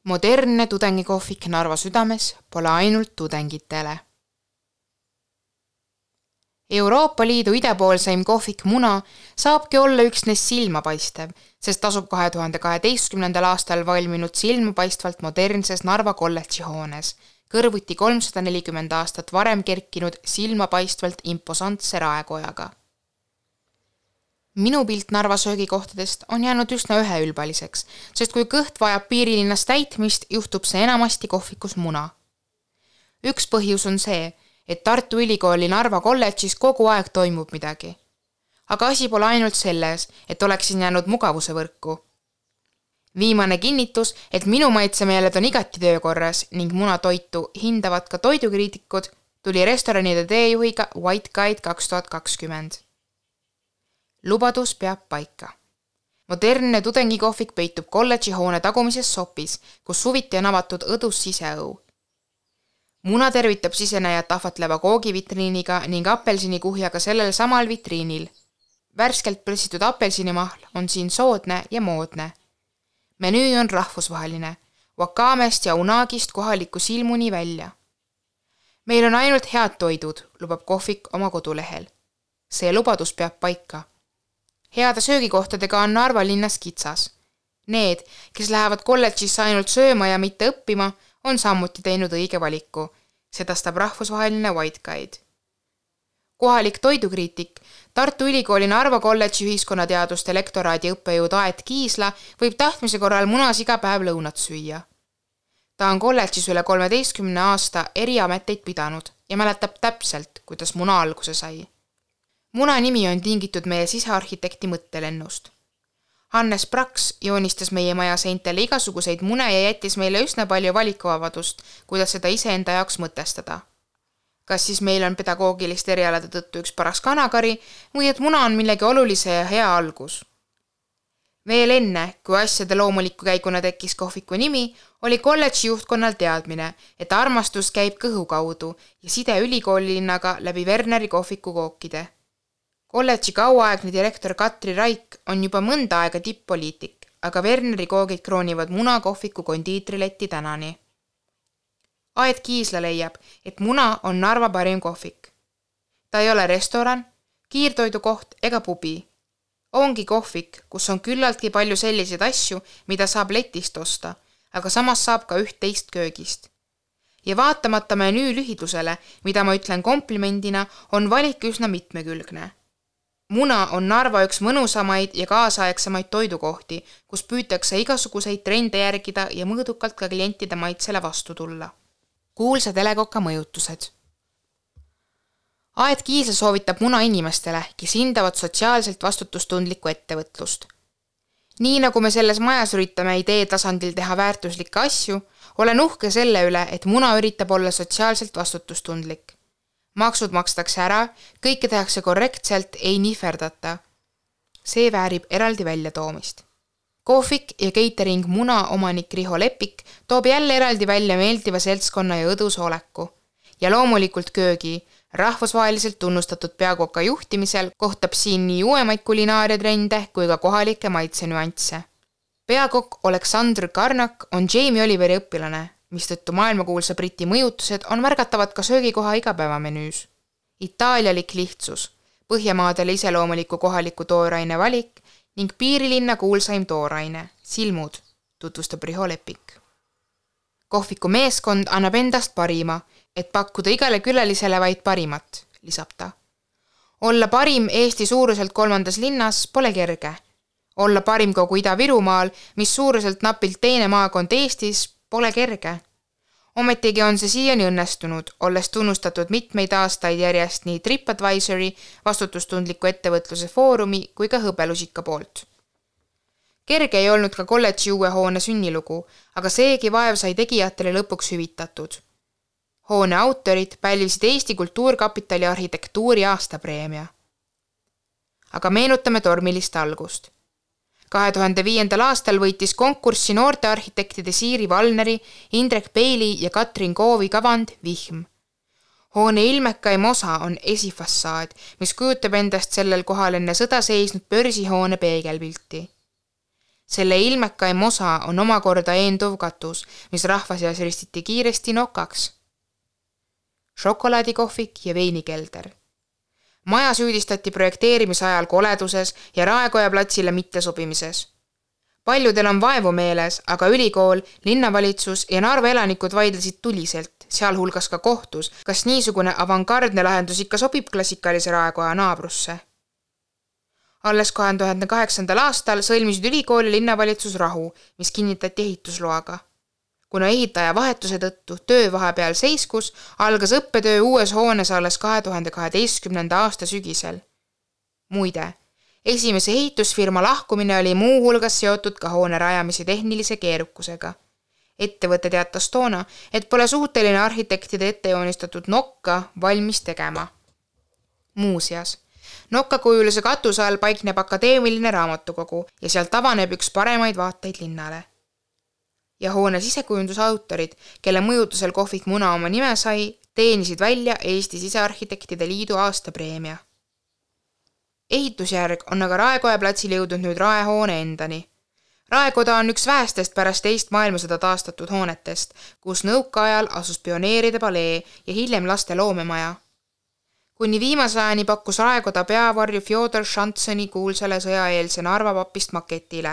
Modernne tudengikohvik Narva südames pole ainult tudengitele. Euroopa Liidu idapoolseim kohvik Muna saabki olla üksnes silmapaistev, sest asub 2012. aastal valminud silmapaistvalt modernses Narva kolledži hoones, kõrvuti 340 aastat varem kerkinud silmapaistvalt imposantse raekojaga. Minu pilt Narva söögikohtadest on jäänud üsna üheülbaliseks, sest kui kõht vajab piirilinnas täitmist, juhtub see enamasti kohvikus Muna. Üks põhjus on see, et Tartu Ülikooli Narva kolledžis kogu aeg toimub midagi. Aga asi pole ainult selles, et oleksin jäänud mugavuse võrku. Viimane kinnitus, et minu maitsemeeled on igati töökorras ning Muna toitu hindavad ka toidukriitikud, tuli restoranide teejuhiga White Guide 2020. Lubadus peab paika. Modernne tudengikohvik peitub kolledži hoone tagumises sopis, kus suviti on avatud õdus siseõu. Muna tervitab sisenejat ahvatleva koogivitriiniga ning apelsinikuhjaga sellel samal vitriinil. Värskelt pressitud apelsinimahl on siin soodne ja moodne. Menüü on rahvusvaheline, wakamest ja unagist kohaliku silmuni välja. Meil on ainult head toidud, lubab kohvik oma kodulehel. See lubadus peab paika. Heade söögikohtadega on Narva linnas kitsas. Need, kes lähevad kolledžisse ainult sööma ja mitte õppima, on samuti teinud õige valiku, sedastab rahvusvaheline White Guide. Kohalik toidukriitik, Tartu Ülikooli Narva kolledži ühiskonnateaduste lektoraadi õppejõud Aet Kiisla võib tahtmise korral Munas iga päev lõunat süüa. Ta on kolledžis üle 13 aasta eriameteid pidanud ja mäletab täpselt, kuidas Muna alguse sai. Muna nimi on tingitud meie sisearhitekti mõttelennust. Hannes Praks joonistas meie maja seintele igasuguseid mune ja jättis meile üsna palju valikuvabadust, kuidas seda iseenda jaoks mõtestada. Kas siis meil on pedagoogilist erialade tõttu üks paras kanakari või et Muna on millegi olulise ja hea algus. Veel enne, kui asjade loomuliku käiguna tekkis kohviku nimi, oli kolledži juhtkonnal teadmine, et armastus käib kõhu kaudu ja side ülikoolilinnaga läbi Werneri kohviku kookide. Kolledži kauaaegne direktor Katri Raik on juba mõnda aega tipp-poliitik, aga Werneri koogid kroonivad Muna kohviku kondiitrileti tänani. Aet Kiisla leiab, et Muna on Narva parim kohvik. Ta ei ole restoran, kiirtoidukoht ega pubi. Ongi kohvik, kus on küllaltki palju selliseid asju, mida saab letist osta, aga samas saab ka üht-teist köögist. Ja vaatamata menüü lühidusele, mida ma ütlen komplimendina, on valik üsna mitmekülgne. Muna on Narva üks mõnusamaid ja kaasaegsamaid toidukohti, kus püütakse igasuguseid trende järgida ja mõõdukalt ka klientide maitsele vastu tulla. Kuulsa telekoka mõjutused. Aet Kiisla soovitab Muna inimestele, kes hindavad sotsiaalselt vastutustundlikku ettevõtlust. Nii nagu me selles majas üritame idee tasandil teha väärtuslikke asju, olen uhke selle üle, et Muna üritab olla sotsiaalselt vastutustundlik. Maksud makstakse ära, kõike tehakse korrektselt, ei nihverdata. See väärib eraldi väljatoomist. Kohvik ja catering Muna omanik Riho Lepik toob jälle eraldi välja meeldiva seltskonna ja õdus oleku. Ja loomulikult köögi, rahvusvaheliselt tunnustatud peakoka juhtimisel kohtab siin nii uuemaid kulinaariatrende kui ka kohalikke maitsenüansse. Peakokk Aleksandr Karnak on Jamie Oliveri õpilane, mistõttu maailmakuulsa Briti mõjutused on märgatavad ka söögikoha igapäevamenüüs. Itaalialik lihtsus, Põhjamaadele iseloomuliku kohaliku tooraine valik ning piirilinna kuulsaim tooraine, silmud, tutvustab Riho Lepik. Kohviku meeskond annab endast parima, et pakkuda igale külalisele vaid parimat, lisab ta. Olla parim Eesti suuruselt 3. linnas pole kerge. Olla parim kogu Ida-Virumaal, mis suuruselt napilt teine maakond Eestis, pole kerge. Ometigi on see siiani õnnestunud, olles tunnustatud mitmeid aastaid järjest nii TripAdvisori, vastutustundliku ettevõtluse foorumi kui ka hõbelusika poolt. Kerge ei olnud ka kolledži uue hoone sünnilugu, aga seegi vaev sai tegijatele lõpuks hüvitatud. Hoone autorid pälvisid Eesti Kultuurkapitali arhitektuuri aastapreemia. Aga meenutame tormilist algust. 2005. aastal võitis konkurssi noortearhitektide Siiri Valneri, Indrek Peili ja Katrin Koovi kavand Vihm. Hoone ilmekaim osa on esifassaad, mis kujutab endast sellel kohal enne sõda seisnud börsihoone peegelpilti. Selle ilmekaim osa on omakorda eenduv katus, mis rahva seas ristiti kiiresti nokaks. Šokolaadikohvik ja veinikelder. Maja süüdistati projekteerimise ajal koleduses ja Raekoja platsile mittesobimises. Paljudel on vaevu meeles, aga ülikool, linnavalitsus ja Narva elanikud vaidlesid tuliselt, sealhulgas ka kohtus, kas niisugune avangardne lahendus ikka sobib klassikalise Raekoja naabrusse. Alles 2008. aastal sõlmisid ülikool ja linnavalitsus rahu, mis kinnitati ehitusloaga. Kuna ehitaja vahetuse tõttu töö vahepeal seiskus, algas õppetöö uues hoones alles 2012. aasta sügisel. Muide, esimese ehitusfirma lahkumine oli muu hulgas seotud ka hoone rajamise tehnilise keerukusega. Ettevõte teatas toona, et pole suuteline arhitektide ettejoonistatud nokka valmis tegema. Muuseas, nokkakujulise katuse all paikneb akadeemiline raamatukogu ja sealt avaneb üks paremaid vaateid linnale. Ja hoone sisekujundusautorid, kelle mõjutusel kohvik Muna oma nime sai, teenisid välja Eesti Sisearhitektide Liidu aastapreemia. Ehitusjärg on aga Raekoja platsil jõudnud nüüd Raehoone endani. Raekoda on üks vähestest pärast teist maailmasõda taastatud hoonetest, kus nõukaajal asus pioneeride palee ja hiljem laste loomemaja. Kuni viimase ajani pakkus Raekoda peavarju Fjodor Šantsoni kuulsale sõjaeelse Narva papist maketile,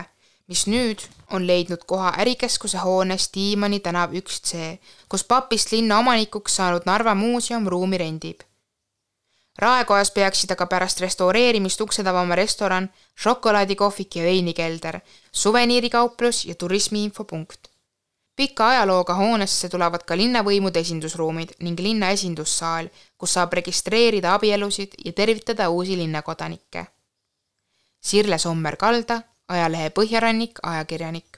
mis nüüd on leidnud koha ärikeskuse hoones Tiimani tänav 1C, kus papist linna omanikuks saanud Narva muuseum ruumi rendib. Raekojas peaksid aga pärast restaureerimist uksed avama restoran, šokolaadikohvik ja veinikelder, suveniirikauplus ja turismiinfopunkt. Pika ajalooga hoonesse tulevad ka linnavõimude esindusruumid ning linna esindussaal, kus saab registreerida abielusid ja tervitada uusi linnakodanikke. Sirle Sommer-Kalda, ajalehe Põhjarannik, ajakirjanik.